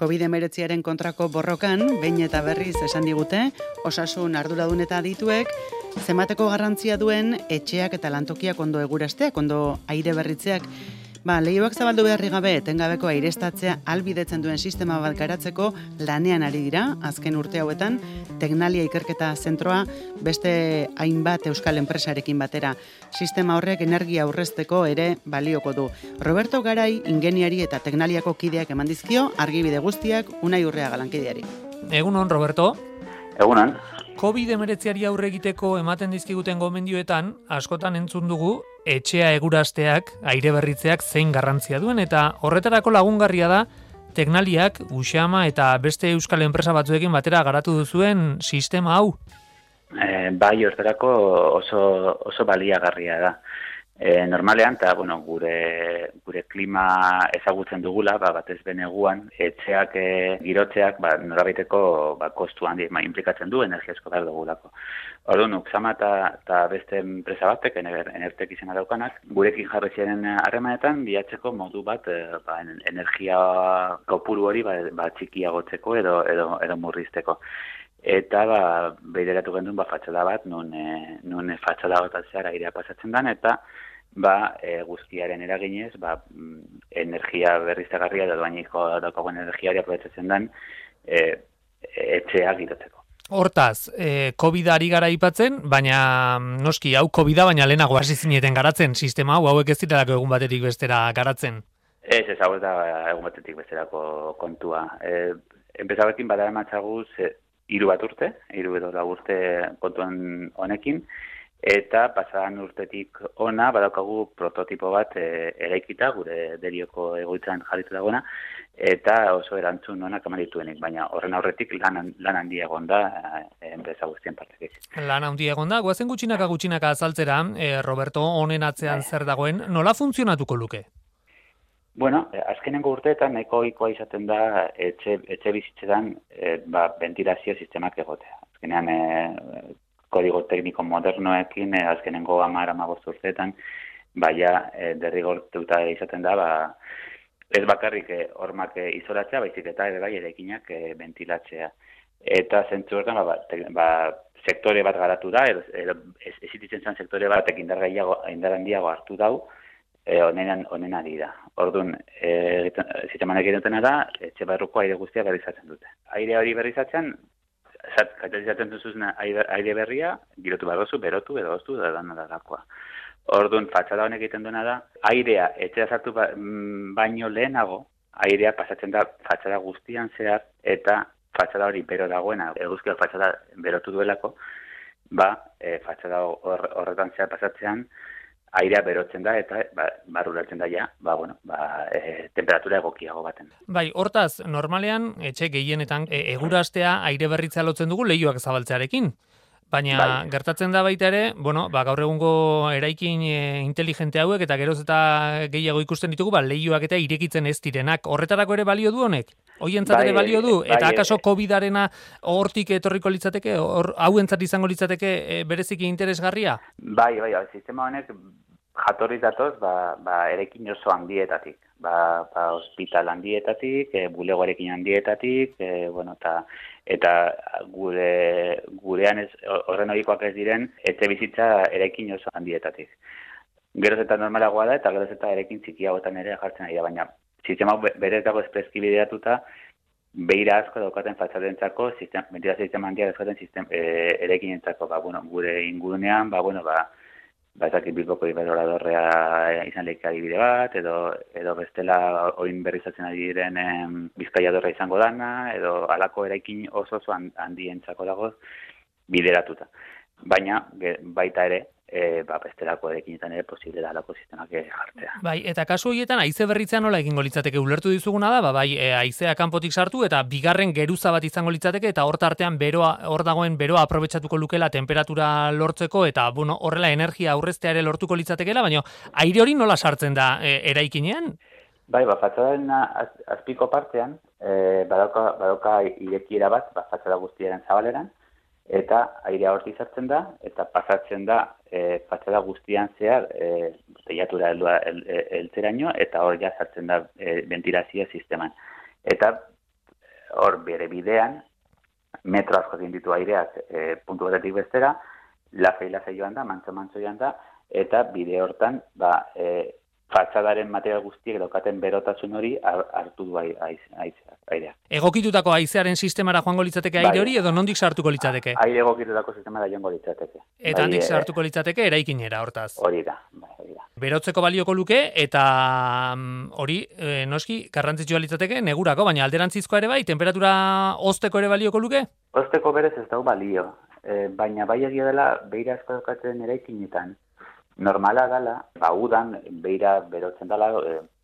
COVID-19 kontrako borrokan, behin eta berriz esan digute, osasun arduradun eta adituek, zenbateko garrantzia duen etxeak eta lantokiak ondo egurasteak, ondo aire berritzeak. Leihoak zabaldu beharri gabe, etengabeko aireztatzea albidetzen duen sistema bat garatzeko lanean ari dira, azken urte hauetan, Teknalia Ikerketa Zentroa beste hainbat euskal enpresarekin batera. Sistema horrek energia aurrezteko ere balioko du. Roberto Garai, ingeniari eta Teknaliako kideak eman dizkio, argibide guztiak Unai Urreaga lankideari. Egunon, Roberto. Egunon. COVID-19 aurre egiteko ematen dizkiguten gomendioetan, askotan entzun dugu, etxea egurasteak, aire berritzeak zein garrantzia duen, eta horretarako lagungarria da, Teknaliak, Uxama eta beste euskal enpresa batzuekin batera garatu duzuen sistema hau. Bai, horretarako oso baliagarria da. Normalean, eta gure klima ezagutzen dugula, batez beneguan, etxeak girotzeak norabaiteko kostu handi implikatzen du, energia asko behar dugulako. Orduan, Uxama eta beste enpresa batek, enertek izena daukanak, gurekin jarri ziren harremanetan bilatzeko modu bat energia kopuru hori txikiagotzeko edo murrizteko. Eta behireratu gendun fatxada bat, nun fatxada bat zehar airea pasatzen den, eta guztiaren eraginez, energia berriztagarria edo doainiko daukagoen energiari aprobetxatzen den etxea girotzeko. Hortaz, COVID-a ari gara aipatzen, baina noski, hau COVID-a baina lehenago hasi zineten garatzen sistema hauek ez direlako egun batetik bestera garatzen. Ez hau ez da egun batetik besterako kontua. Enpresarekin badara matxaguz 3 urte, 3 edo 4 urte kontuan honekin, eta pasadan urtetik ona badaukagu prototipo bat eraikita, gure Derioko egoitzan jarritu dagoena, eta oso erantzun onak eman dituenik, baina horren aurretik lan handia egon da enpresa guztien partetik. Lan handia egon da, goazen gutxinaka azaltzera, Roberto, honen atzean zer dagoen, nola funtzionatuko luke? Bueno, azkenengo urteetan nahiko ohikoa izaten da etxe bizitzetan ventilazio sistemak egotea. Azkenean kodigo tekniko modernoekin azkenengo 10-15 urteetan derrigortuta izaten da ez bakarrik hormak isolatzea, baizik eta ere bai eraikinak ventilatzea. Eta zentzu horretan sektore bat garatu da, existitzen zen sektore batek indar handiago hartu dau, honen ari da. Orduan, sistemanek egiten da, etxe barruko aire guztia berrizatzen dute. Aire hori berrizatzen, katalizatzen duzun aire berria, girotu behar duzu, berotu edo oztu da dalakoa. Orduan, fatxada honek egiten duena da, airea etxea sartu baino lehenago, airea pasatzen da fatxada guztian zehar, eta fatxada hori bero dagoena, eguzkiak fatxada berotu duelako, fatxada horretan zehar pasatzean, airea berotzen da eta barruratzen da temperatura egokiago baten. Bai, hortaz, normalean, etxe gehienetan egurastea aire berritzea lotzen dugu leihoak zabaltzearekin. Baina gertatzen da baita ere, gaur egungo eraikin inteligente hauek eta geroz eta gehiago ikusten ditugu, leihoak eta irekitzen ez direnak. Horretarako ere balio du honek? Hoientzat ere balio du? Eta akaso COVID-arena hortik etorriko litzateke, hauentzat izango litzateke bereziki interesgarria? Bai, sistema honek jatorriz datoz, eraikin oso handietatik. Hospital handietatik, bulego eraikin handietatik, eta gurean horren horikoak ez diren, etxe bizitza eraikin oso handietatik. Geroz eta normalagoa da, eta geroz eta eraikin txikiagotan ere jartzen ari da, baina sistema berez dago esprezki bideratuta, beira asko daukaten fatxadentzako, ventilazio sistema handiak daukaten eraikinentzako, gure ingurunean, ezakit Bilboko Iberoradorrea izan lehik adibide bat, edo bestela oin berrizatzen ari diren Bizkaiadorra izango dana, edo halako eraikin oso handientzako dago bideratuta. Baina baita ere, bestelako eraikinetan ere posible da halako sistemak jartzea. Bai, eta kasu horietan haize berritzea nola egingo litzateke ulertu dizuguna da, haizea kanpotik sartu eta bigarren geruza bat izango litzateke eta hor tartean hor dagoen beroa aprobetxatuko lukela temperatura lortzeko eta horrela energia aurreztea ere lortuko litzatekeela, baina aire hori nola sartzen da eraikinean? Bai, fatxadaren azpiko partean, badauka irekiera bat, fatxada guztiaren zabaleran, eta airea hortik sartzen da, eta pasatzen da fatxada guztian zehar teilatura heltzeraino, eta hor ja sartzen da ventilazio sisteman. Eta hor bere bidean, metro asko egin ditu aireak puntu batetik bestera, lasai joan da, mantso joan da, eta bide hortan, fatxadaren material guztiek daukaten berotasun hori hartu du airea. Egokitutako haizearen sistemara joango litzateke aire hori, edo nondik sartuko litzateke? Aire egokitutako sistemara joango litzateke. Eta handik sartuko litzateke eraikinera, hortaz. Hori da. Berotzeko balioko luke, eta hori, noski, garrantzitsua litzateke negurako, baina alderantzizkoa ere bai, temperatura hozteko ere balioko luke? Hozteko berez ez dau balio, baina bai egia dela beira asko daukaten eraikinetan. Normala dela, udan beira berotzen dela,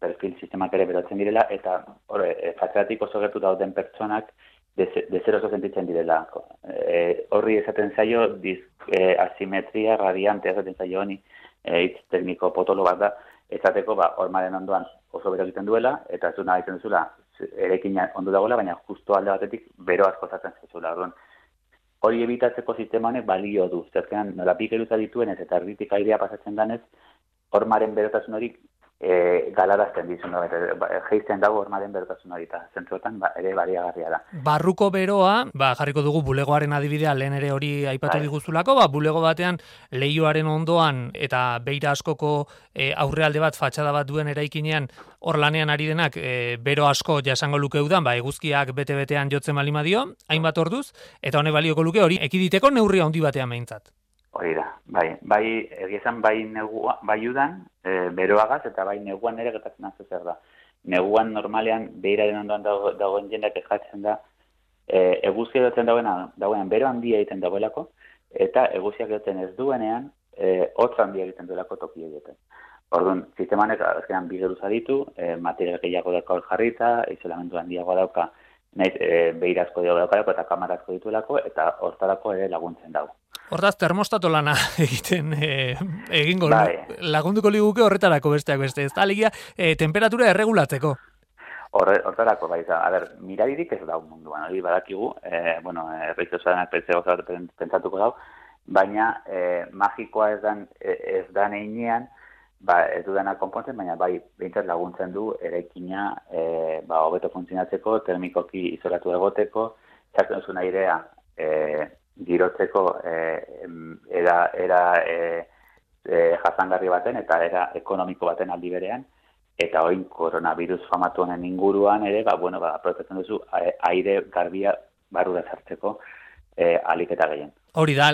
perfil sistemak ere berotzen direla, eta fatxadatik oso gertu dauden pertsonak dezeroso sentitzen direla. Horri esaten zaio, asimetria radiante esaten zaio honi, hitz tekniko potolo bat da, esateko hormaren ondoan oso bero egiten duela, eta ez du nahi duzula, erekina ondo dagoela, baina justo alde batetik bero asko zaten zezula. Hori ebitatzeko sistema honek balio du. Zerkean, nola bi geruza dituen ez eta erditik airea pasatzen danez, hormaren berotasun hori galarazten dizun. Geizten dago hormaren berotasun hori, eta zentruetan ere baliagarria da. Barruko beroa, jarriko dugu bulegoaren adibidea, lehen ere hori aipatu diguzulako, bulego batean leihoaren ondoan eta beira askoko aurrealde bat, fatxada bat duen eraikinean, hor lanean ari denak bero asko jasango luke udan, eguzkiak bete-betean jotzen bali madio, hainbat orduz, eta hone balioko luke hori ekiditeko neurria handi batean behintzat. Hori da, egiezan bai udan, beroagaz, eta bai neguan ere gertatzen azte zer da. Neguan normalean, beiraren ondoan dagoen jendak ejatzen da, eguzkia dutzen dagoenan bero handia egiten dagoelako, eta eguzkiak dutzen ez duenean, hotz handia egiten duelako toki egiten. Orduan, sistemanek azkenan bi geruza ditu, material gehiago dauka jarrita, isolamendu handiagoa dauka, beirazko daukalako eta kamarazko dituelako, eta hortarako ere laguntzen dago. Hortaz, termostato lana egiten egingo lagunduko liguke horretarako besteak beste. Ez da, alegia, temperatura erregulatzeko. Hortarako, miraririk ez dau munduan. Hori badakigu, erreitzosanak pentsatuko dau, baina magikoa ez dan einean, ez dudana konpontzen, baina behintzat laguntzen du eraikina hobeto funtzionatzeko, termikoki izolatu egoteko, txartzen duzun airea girotzeko era jasangarri baten eta era ekonomiko baten aldi berean, eta oin koronavirus famatu honen inguruan ere, aprobetxatzen duzu aire garbia barrura sartzeko alik eta gehien. Hori da,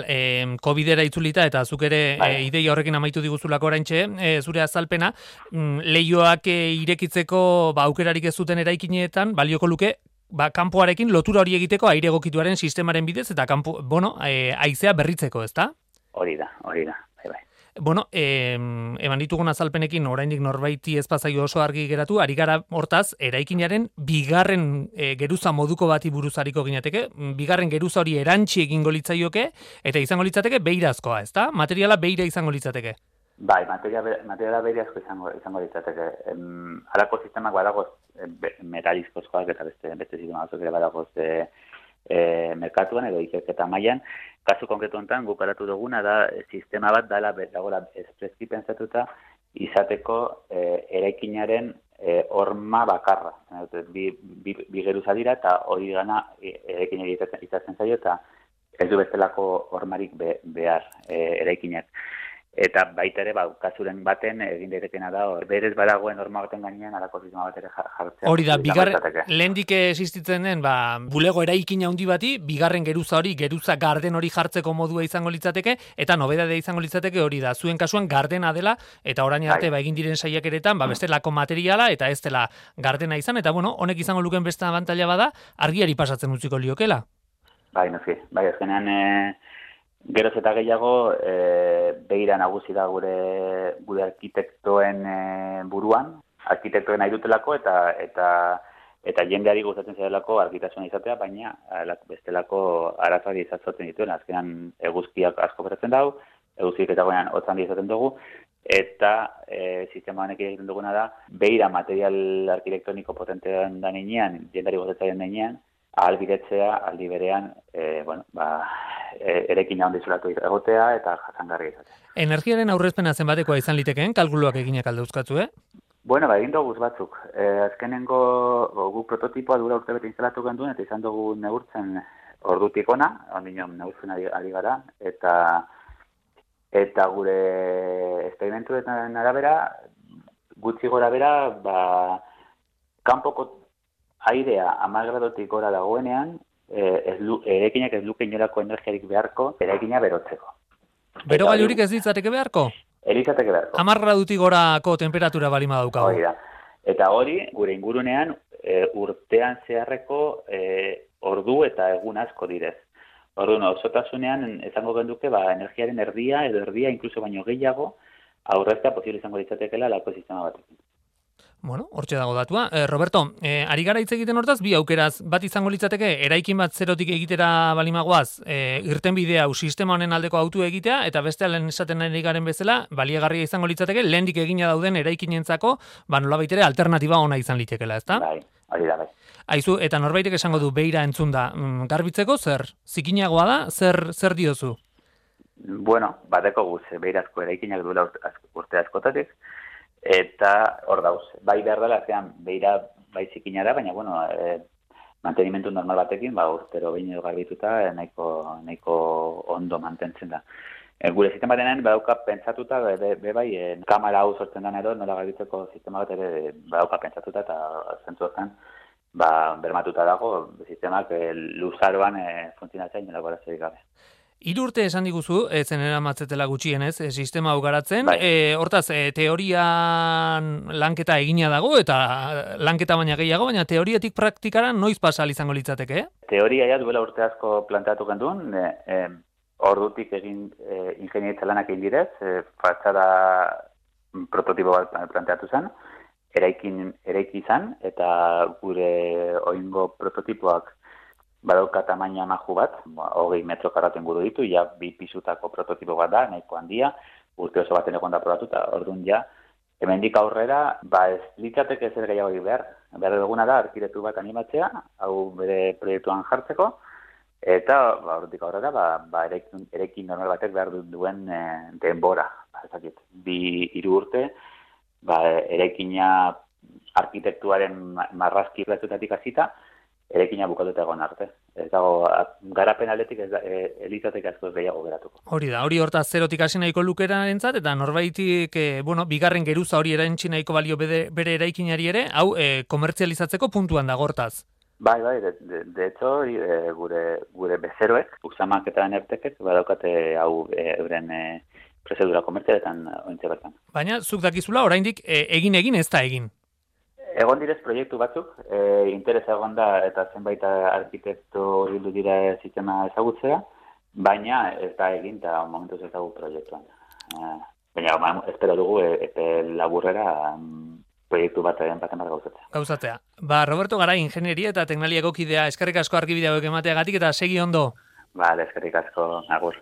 COVID-era itzulita eta zuk ere ideia horrekin amaitu diguzulako oraintxe, zure azalpena, leihoak irekitzeko aukerarik ez zuten eraikinetan, balioko luke, kanpoarekin lotura hori egiteko aire egokituaren sistemaren bidez eta haizea berritzeko, ezta? Hori da. Bueno, eman ditugun azalpenekin oraindik norbaiti ez pazaio oso argi geratu, ari gara hortaz, eraikinaren bigarren geruza moduko bati buruz ariko ginateke, bigarren geruza hori erantzi egingo litzaioke, eta izango litzateke beirazkoa, ezta? Materiala beira izango litzateke. Materiala beirazko izango litzateke. Halako sistemak badagoz metalizkozkoak eta beste sistema batzuk ere badagoz merkatuan edo ikerketa mailan. Kasu konkretu honetan guk garatu duguna da sistema bat dagoela espreski pentsatuta izateko eraikinaren horma bakarra. Bi geruza dira eta hori gana eraikina izatzen zaio eta ez du bestelako hormarik behar eraikinak. Eta baita ere, kasuren baten egin daitekena da, berez badagoen norma baten gainean alako sistema bat ere jartzea. Hori da, lehendik existitzen den, bulego eraikina handi bati, bigarren geruza hori, geruza garden hori jartzeko modua izango litzateke, eta nobedadea izango litzateke hori da, zuen kasuan gardena dela, eta orain arte egin diren saiakeretan, bestelako materiala, eta ez dela gardena izan, eta honek izango luken beste abantaila bada, argiari pasatzen utziko liokela. Noski, azkenean... Geroz eta gehiago, beira nagusi da gure arkitektoen buruan, arkitektoen nahi dutelako eta jendeari gustatzen zailako argitasuna izatea, baina bestelako arazoari izatzen dituen. Azkenan eguzkiak asko beratzen dau, eguzkiak eta goenan hotzan izaten dugu, eta sistema honek egiten duguna da, beira material arkitektoniko potentean da ninean, jendeari gustatzen ninean, ahalbidetzea aldi berean, erekina handi zulatu egotea eta jasangarri izatea. Energiaren aurrezpena zenbatekoa izan litekeen, kalkuluak eginak alde euskatzu, Bueno, egin dugu batzuk. Azkenengo guk prototipoa dura urtebete instalatu genduen, eta izan dugu neurtzen ordutik ona, ondino neurtzen ari gara, eta gure esperimentuetan arabera, gutxi gora bera, kanpoko airea 10 gradotik gora dagoenean, eraikinak ez luke inolako energiarik beharko, eraikina berotzeko. Berogailurik ez ditzateke beharko? Elizateke beharko. 10 gradutik gorako temperatura balima daukagu. Hori da. Eta hori, gure ingurunean, urtean zeharreko ordu eta egun asko direz. Orduan, osotasunean, ezango genduke, energiaren erdia, edo erdia, inkluso baino gehiago, aurreztea posible izango ditzatekela lako sistema batekin. Bueno, hortxe dago datua. Roberto, ari gara hitz egiten hortaz, bi aukeraz, bat izango litzateke, eraikin bat zerotik egitera balimagoaz, irtenbide hau sistema honen aldeko autu egitea, eta beste lehen esaten ari garen bezala, baliagarria izango litzateke, lehendik egina dauden eraikinentzako, nolabait ere alternatiba ona izan litekela, ezta? Bai, hori da, bai. Aizu, eta norbaitek esango du beira entzun da, garbitzeko zer? Zikinagoa da, zer diozu? Bueno, bateko guz, beirazko eraikinak duela urte askotatik, eta hor dauz, bai behar dela, zean, beira bai zikina da, baina, bueno, mantenimentu normal batekin, urtero behin edo garbituta, nahiko ondo mantentzen da. Gure sistema denean, badauka pentsatuta, bai, kamera hau sortzen den edo, nola garbitzeko sistema bat ere, badauka pentsatuta, eta zentzu hortan, bermatuta dago, sistemak luzaroan funtzionatzea inolako arazorik gabe. 3 urte esan diguzu, zen eramatzetela gutxienez, sistema hau garatzen, Bai. Hortaz, teorian lanketa egina dago, eta lanketa baina gehiago, baina teoriatik praktikara noiz pasal izango litzateke, Teoria ja duela urte asko planteatu genduen, ordutik egin ingeniaritza lanak egin direz, fatxada prototipo bat planteatu zen, eraiki izan, eta gure oingo prototipoak badauka tamaina maju bat, 20 metro karraten guru ditu, ja 2 pisutako prototipo bat da, nahiko handia, urte oso baten egon da probatu, eta orduan ja, hemendik aurrera, ez litzateke zer gehiago behar. Behar duguna da, arkitektu bat animatzea, hau bere proiektuan jartzeko, eta ordutik aurrera, eraikin normal batek behar duen denbora. 2-3 urte, eraikina arkitektuaren marrazki platzutatik hasita, eraikina bukatuta egon arte. Ez dago, garapen aldetik elizateke asko gehiago geratuko. Hori da, hori hortaz zerotik hasi nahiko lukerarentzat, eta norbaitik, bigarren geruza hori erantzi nahiko balio bere eraikinari ere, hau komertzializatzeko puntuan da hortaz. Bai, de hecho, gure bezeroek, uxamaketaren ertekek, badaukate hau euren prozedura komertzialetan ointze bertan. Baina, zuk dakizula, oraindik egin ez da egin. Egon direz proiektu batzuk, interesa egon da eta zenbait arkitekto bildu dira sistema ezagutzea, baina ez da egin eta momentuz ezagut proiektuan. Baina espero dugu epe laburrera proiektu baten bat gauzatzea. Gauzatzea. Roberto Garai, ingenieria eta teknalia egokidea, eskerrik asko argibide hauek emateagatik eta segi ondo. Eskerrik asko, agur.